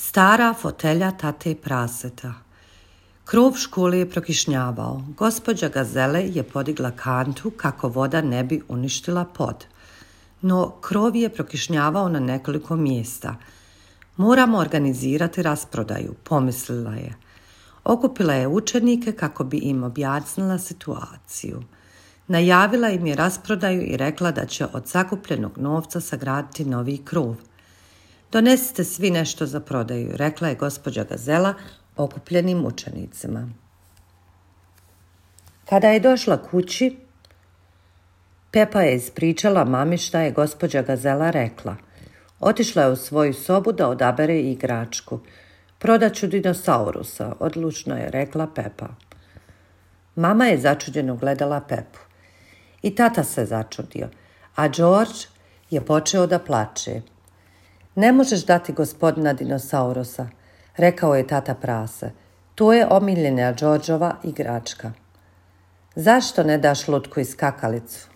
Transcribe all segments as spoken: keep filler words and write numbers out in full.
Stara fotelja tate praseta. Krov škole je prokišnjavao. Gospođa Gazele je podigla kantu kako voda ne bi uništila pod. No krov je prokišnjavao na nekoliko mjesta. Moramo organizirati rasprodaju, pomislila je. Okupila je učenike kako bi im objasnila situaciju. Najavila im je rasprodaju i rekla da će od sakupljenog novca sagraditi novi krov. Donesite svi nešto za prodaju, rekla je gospođa Gazela okupljenim učenicima. Kada je došla kući, Pepa je ispričala mami šta je gospođa Gazela rekla. Otišla je u svoju sobu da odabere igračku. Prodaću dinosaurusa, odlučno je rekla Pepa. Mama je začuđeno gledala Pepu. I tata se začudio, a George je počeo da plače. Ne možeš dati gospodina dinosaurusa, rekao je tata prase. To je omiljena Georgeova igračka. Zašto ne daš lutku i skakalicu?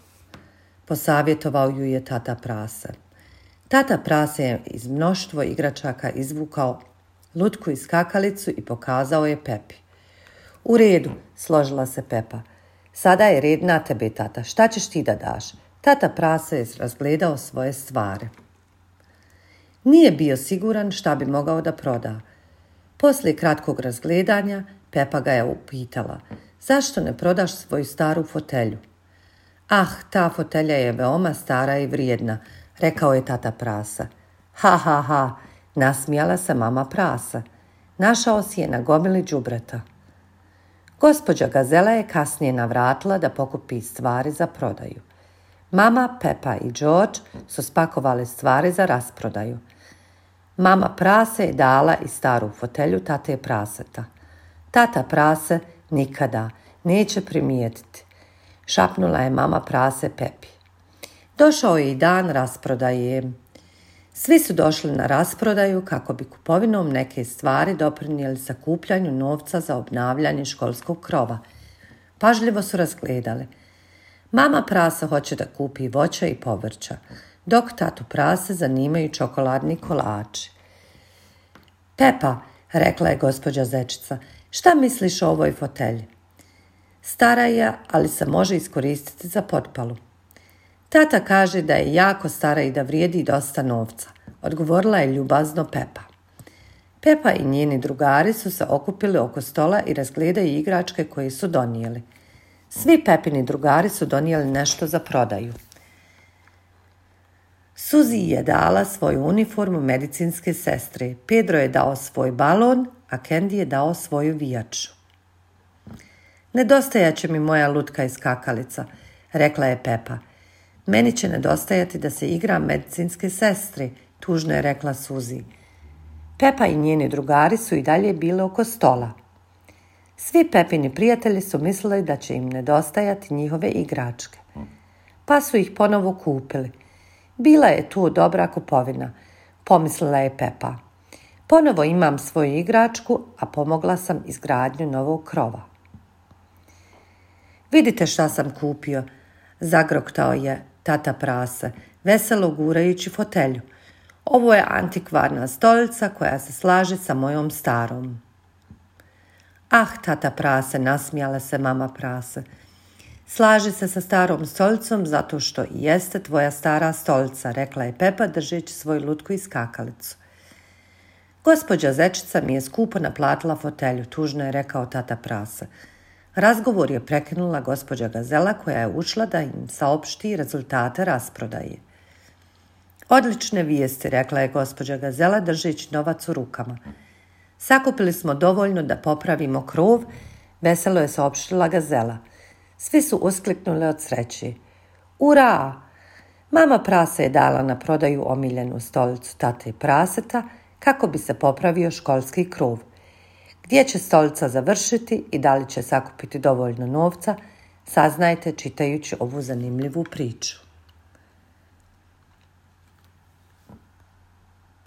Posavjetovao ju je tata prase. Tata prase je iz mnoštvo igračaka izvukao lutku i skakalicu i pokazao je Pepi. U redu, složila se Pepa. Sada je red na tebe, tata. Šta ćeš ti da daš? Tata prase je razgledao svoje stvari. Nije bio siguran šta bi mogao da proda. Poslije kratkog razgledanja, Pepa ga je upitala. Zašto ne prodaš svoju staru fotelju? Ah, ta fotelja je veoma stara i vrijedna, rekao je tata prasa. Ha, ha, ha, nasmijala se mama prasa. Našao si je na gomili đubreta. Gospođa Gazela je kasnije navratila da pokupi stvari za prodaju. Mama, Pepa i George su spakovali stvari za rasprodaju. Mama prase je dala i staru fotelju tate praseta. Tata prase nikada neće primijetiti, šapnula je mama prase Pepi. Došao je i dan rasprodaje. Svi su došli na rasprodaju kako bi kupovinom neke stvari doprinijeli sakupljanju novca za obnavljanje školskog krova. Pažljivo su razgledali. Mama prase hoće da kupi voća i povrća, dok tatu prase zanimaju čokoladni kolači. Pepa, rekla je gospođa Zečica, šta misliš o ovoj fotelji? Stara je, ali se može iskoristiti za potpalu. Tata kaže da je jako stara i da vrijedi dosta novca, odgovorila je ljubazno Pepa. Pepa i njeni drugari su se okupili oko stola i razgledaju igračke koje su donijeli. Svi Pepini drugari su donijeli nešto za prodaju. Suzi je dala svoju uniformu medicinske sestre, Pedro je dao svoj balon, a Candy je dao svoju vijaču. Nedostajat će mi moja lutka i skakalica, rekla je Pepa. Meni će nedostajati da se igra medicinske sestre, tužno je rekla Suzi. Pepa i njeni drugari su i dalje bili oko stola. Svi Pepini prijatelji su mislili da će im nedostajati njihove igračke, pa su ih ponovo kupili. Bila je tu dobra kupovina, pomislila je Pepa. Ponovo imam svoju igračku, a pomogla sam izgradnju novog krova. Vidite šta sam kupio, zagroktao je tata prase, veselo gurajući fotelju. Ovo je antikvarna stolica koja se slaže sa mojom starom. Ah, tata prase, nasmijala se mama prase. Slaže se sa starom stolicom zato što i jeste tvoja stara stolica, rekla je Pepa držeći svoju lutku i skakalicu. Gospođa Zečica mi je skupo naplatila fotelju, tužno je rekao tata prase. Razgovor je prekinula gospođa Gazela koja je ušla da im saopšti rezultate rasprodaje. Odlične vijesti, rekla je gospođa Gazela držeći novac u rukama. Sakupili smo dovoljno da popravimo krov, veselo je saopštila Gazela. Svi su uskliknuli od sreće. Ura! Mama prase je dala na prodaju omiljenu stolicu tate praseta kako bi se popravio školski krov. Gdje će stolica završiti i da li će sakupiti dovoljno novca, saznajte čitajući ovu zanimljivu priču.